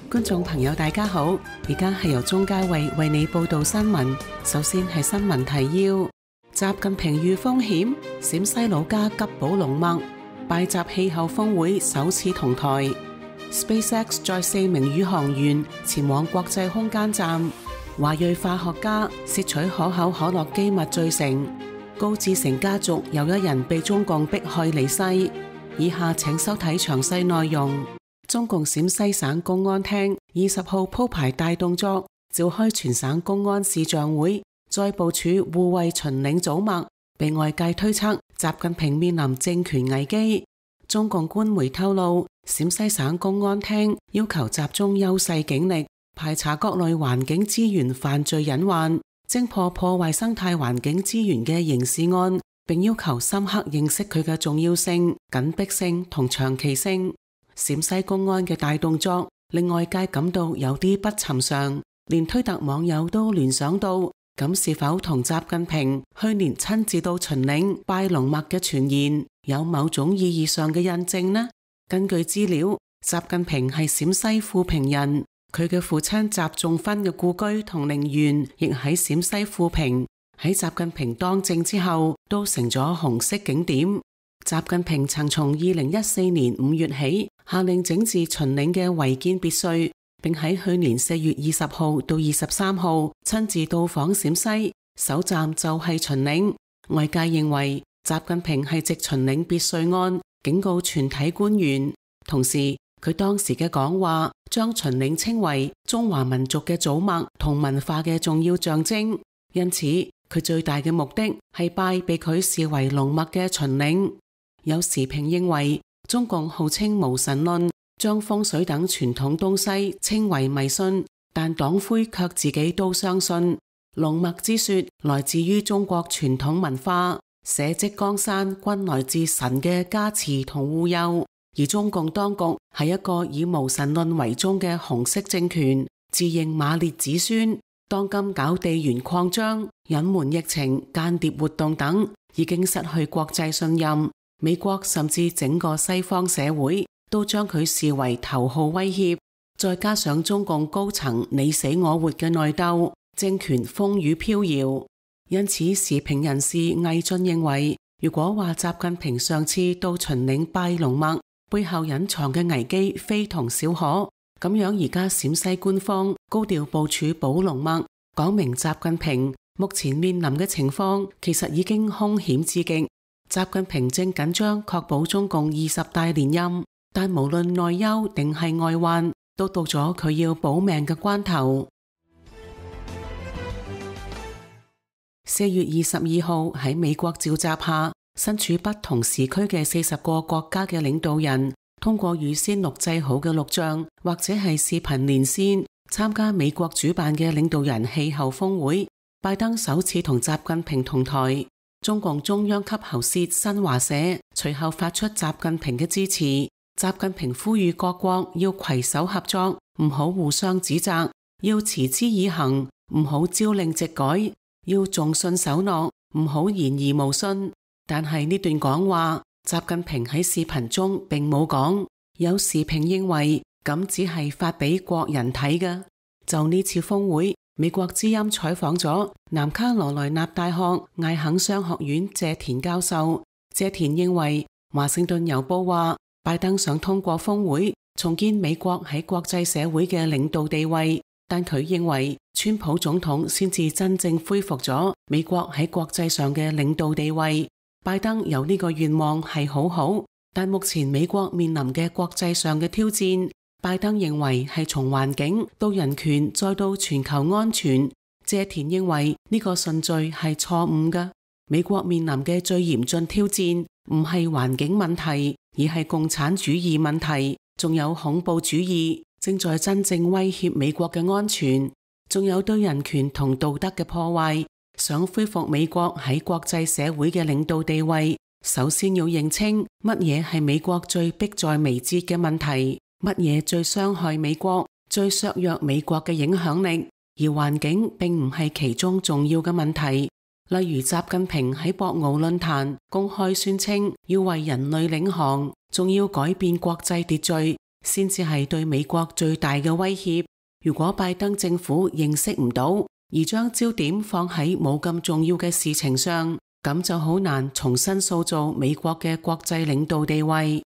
觀眾朋友大家好，而家係由鍾嘉慧為你報道新聞。首先係新聞提要：習近平遇風險，陝西老家急保龍脈，拜習氣候峰會首次同台。SpaceX 載4名宇航員前往國際空間站。華裔化學家竊取可口可樂機密罪成。高志成家族又一人被中共迫害離世。以下請收睇詳細內容。中共陝西省公安廳20號鋪排大動作，召開全省公安視像會，再部署護衛秦嶺祖脈，被外界推測習近平面臨政權危機。中共官媒透露，陝西省公安廳要求集中優勢警力，排查各類環境資源犯罪隱患，偵破破壞生態環境資源嘅刑事案，並要求深刻認識佢嘅重要性、緊迫性同長期性。陝西公安嘅大動作令外界感到有啲不尋常，連推特網友都聯想到，咁是否同習近平去年親自到秦嶺拜龍脈嘅傳言有某種意義上嘅印證呢？根據資料，習近平係陝西富平人，佢嘅父親習仲勳嘅故居同陵園亦喺陝西富平，喺習近平當政之後都成咗紅色景點。習近平曾從2014年5月起下令整治秦嶺嘅違建別墅，並喺去年4月20號到23號親自到訪陝西，首站就係秦嶺。外界認為習近平係藉秦嶺別墅案警告全體官員，同時佢當時嘅講話將秦嶺稱為中華民族嘅祖脈同文化嘅重要象徵，因此佢最大嘅目的係拜被佢視為龍脈嘅秦嶺。有時評認為，中共號稱無神論，將風水等傳統東西稱為迷信，但黨魁卻自己都相信。龍脈之說來自於中國傳統文化，社稷江山均來自神嘅加持同護佑，而中共當局係一個以無神論為宗嘅紅色政權，自認馬列子孫，當今搞地緣擴張、隱瞞疫情、間諜活動等，已經失去國際信任。美國甚至整個西方社會都將佢視為頭號威脅，再加上中共高層你死我活嘅內鬥，政權風雨飄搖。因此時評人士魏晉認為，如果話習近平上次到秦嶺拜龍脈背後隱藏嘅危機非同小可，咁樣而家陝西官方高調部署保龍脈，講明習近平目前面臨嘅情況其實已經兇險至極。習近平正緊張確保中共20大連任，但無論內憂定係外患，都到咗佢要保命嘅關頭。4月22號喺美國召集下，身處不同時區嘅40個國家嘅領導人，通過預先錄製好嘅錄像或者係視頻連線，參加美國主辦嘅領導人氣候峰會。拜登首次同習近平同台。中共中央級喉舌新華社隨後發出習近平嘅致辭，習近平呼籲各國要攜手合作，唔好互相指責，要持之以恆，唔好朝令夕改，要重信守諾，唔好言而無信。但係呢段講話，習近平喺視頻中並冇講。有時評認為咁只係發俾國人睇嘅。就呢次峰會，美國之音採訪咗南卡羅來納大學艾肯商學院謝田教授。謝田認為，華盛頓郵報話拜登想通過峰會重建美國喺國際社會嘅領導地位，但佢認為川普總統先至真正恢復咗美國喺國際上嘅領導地位。拜登有呢個願望係好好，但目前美國面臨嘅國際上嘅挑戰，拜登認為係從環境到人權再到全球安全。謝田認為呢個順序係錯誤嘅。美國面臨嘅最嚴峻挑戰唔係環境問題，而係共產主義問題，仲有恐怖主義正在真正威脅美國嘅安全，仲有對人權同道德嘅破壞。想恢復美國喺國際社會嘅領導地位，首先要認清乜嘢係美國最迫在眉睫嘅問題，乜嘢最傷害美國、最削弱美國嘅影響力，而環境並唔係其中重要嘅問題。例如習近平喺博鰲論壇公開宣稱要為人類領航，仲要改變國際秩序，先至係對美國最大嘅威脅。如果拜登政府認識唔到，而將焦點放喺冇咁重要嘅事情上，咁就好難重新塑造美國嘅國際領導地位。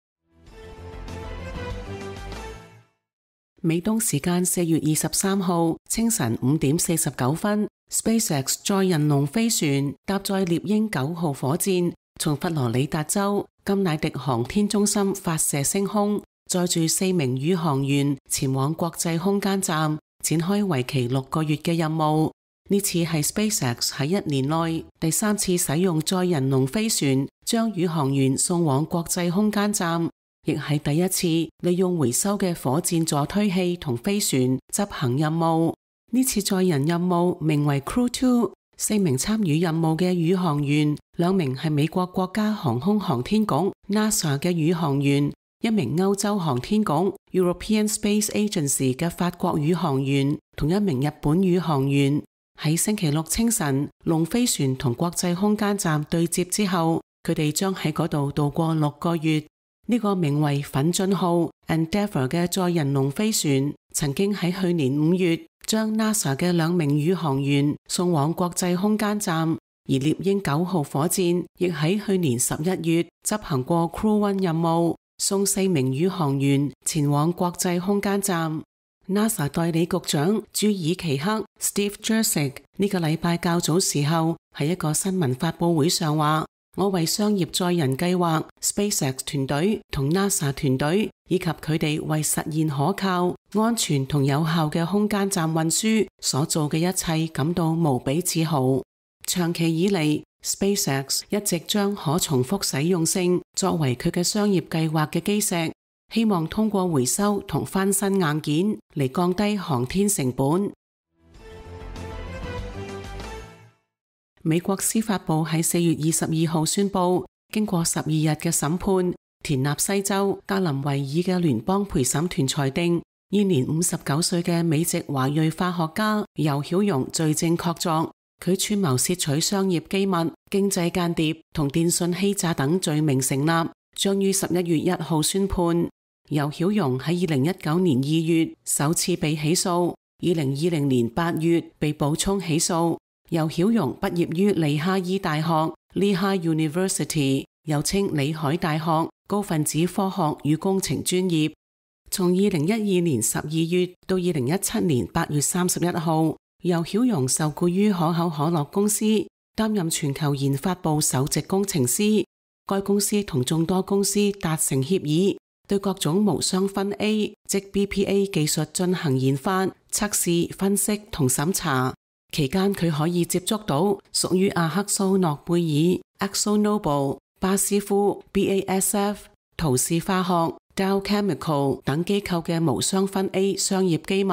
美東時間4月23號清晨5點49分，SpaceX 載人龍飛船搭載獵鷹9號火箭，從佛羅里達州甘迺迪航天中心發射升空，載住4名宇航員前往國際空間站，展開為期6個月嘅任務。呢次係 SpaceX 喺1年內第3次使用載人龍飛船將宇航員送往國際空間站，亦係第一次利用回收嘅火箭助推器同飛船執行任務。呢次載人任務名為 Crew 2， 4名參與任務嘅宇航員，2名係美國國家航空航天局 NASA 嘅宇航員，1名歐洲航天局 European Space Agency 嘅法國宇航員，同1名日本宇航員。喺星期六清晨，龍飛船同國際空間站對接之後，佢哋將喺嗰度度過6個月。呢個名為奮進號 Endeavour 嘅載人龍飛船，曾經喺去年5月將 NASA 嘅2名宇航員送往國際空間站，而獵鷹9號火箭亦喺去年11月執行過 Crew 1任務，送4名宇航員前往國際空間站。NASA 代理局長朱爾奇克 Steve Jurczyk 呢個禮拜較早時候喺一個新聞發佈會上話，我為商業載人計劃 SpaceX 團隊同 NASA 團隊以及佢哋為實現可靠、安全同有效嘅空間站運輸所做嘅一切感到無比自豪。長期以嚟， SpaceX 一直將可重複使用性作為佢嘅商業計劃嘅基石，希望通過回收同翻新硬件嚟降低航天成本。美國司法部喺4月22號宣布，經過12日嘅審判，田納西州格林維爾嘅聯邦陪審團裁定，現年59歲嘅美籍華裔化學家游曉蓉罪證確鑿，佢串謀竊取商業機密、經濟間諜同電信欺詐等罪名成立，將於11月1號宣判。游曉蓉喺2019年2月首次被起訴，2020年8月被補充起訴。游曉蓉畢業於里哈伊大學 Lehigh University， 又稱里海大學高分子科學與工程專業。從2012年12月到2017年8月31號，游曉蓉受僱於可口可樂公司，擔任全球研發部首席工程師。該公司同眾多公司達成協議，對各種無雙酚 A 即 BPA 技術進行研發、測試、分析同審查。期間佢可以接觸到屬於阿克蘇諾貝爾、ExxonMobil、巴斯夫、BASF、陶氏化學、Dow Chemical 等機構嘅無雙酚 A 商業機密。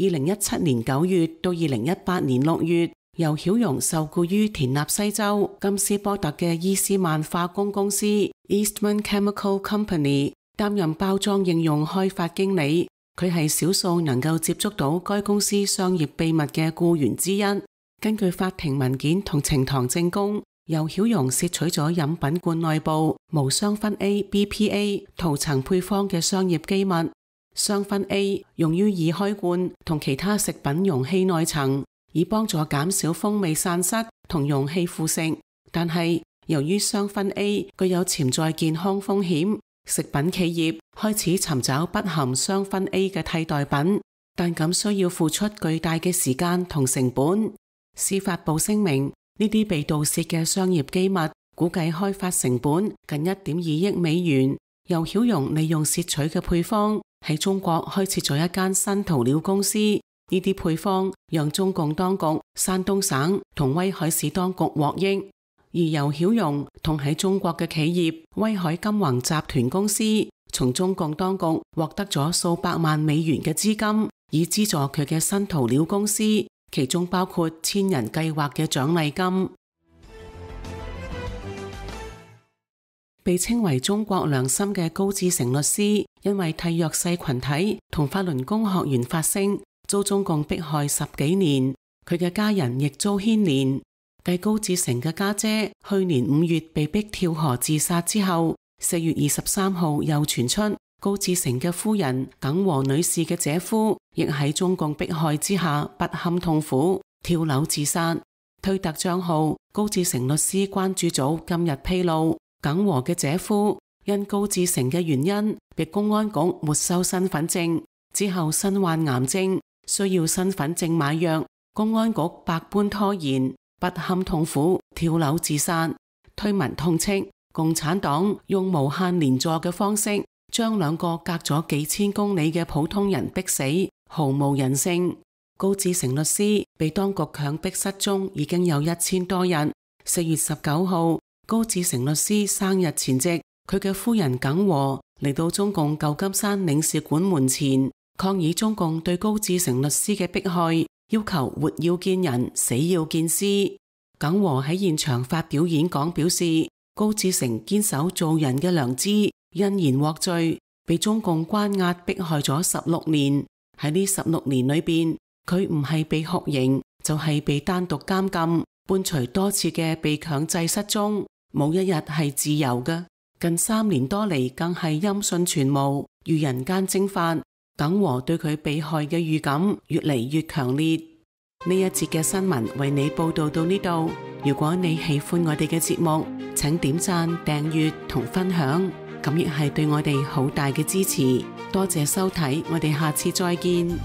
2017年9月到2018年6月，游曉蓉受僱於田納西州金斯波特嘅伊斯曼化工公司 Eastman Chemical Company， 擔任包裝應用開發經理。佢係少數能夠接觸到該公司商業秘密嘅僱員之一。根據法庭文件同呈堂證供，游曉蓉竊取咗飲品罐內部無雙酚 A BPA 塗層配方嘅商業機密。雙酚 A 用於易開罐同其他食品容器內層，以幫助減少風味散失同容器腐蝕。但係由於雙酚 A 具有潛在健康風險，食品企業開始尋找不含雙酚 A 嘅替代品，但咁需要付出巨大嘅時間同成本。司法部聲明，呢啲被盜竊嘅商業機密估計開發成本近1.2億美元。游曉蓉利用竊取嘅配方喺中國開設咗一間新塗料公司，呢啲配方讓中共當局、山東省同威海市當局獲益。而游曉蓉同喺中國嘅企業威海金宏集團公司，從中共當局獲得咗數百萬美元嘅資金，以資助佢嘅新塗料公司，其中包括千人計劃嘅獎勵金。被稱為中國良心嘅高志成律師，因為替弱勢群體同法輪功學員發聲，遭中共迫害10幾年，佢嘅家人亦遭牽連。繼高志成嘅家姐去年5月被逼跳河自殺之後，4月23號又傳出高志成嘅夫人耿和女士嘅姐夫亦喺中共迫害之下不堪痛苦，跳樓自殺。推特賬號高志成律師關注組今日披露，耿和嘅姐夫因高志成嘅原因被公安局沒收身份證，之後身患癌症，需要身份證買藥，公安局百般拖延，不堪痛苦，跳樓自殺。推文痛斥共產黨用無限連坐嘅方式將兩個隔咗幾千公里嘅普通人逼死，毫無人性。高志成律師被當局強迫失蹤已經有1000多日。4月19號，高志成律師生日前夕，佢嘅夫人耿和嚟到中共舊金山領事館門前，抗議中共對高志成律師嘅迫害，要求活要見人，死要見屍。耿和喺現場發表演講，表示高志成堅守做人嘅良知，因言獲罪，被中共關押迫害咗16年。喺呢16年裏邊，佢唔係被酷刑，就係被單獨監禁，伴隨多次嘅被強制失蹤，冇一日係自由嘅。近3年多嚟，更係音訊全無，如人間蒸發。耿和對佢被害嘅預感越嚟越強烈。呢一節嘅新聞為你報道到呢度。如果你喜歡我哋嘅節目，請點讚、訂閱同分享，咁亦係對我哋好大嘅支持。多謝收睇，我哋下次再見。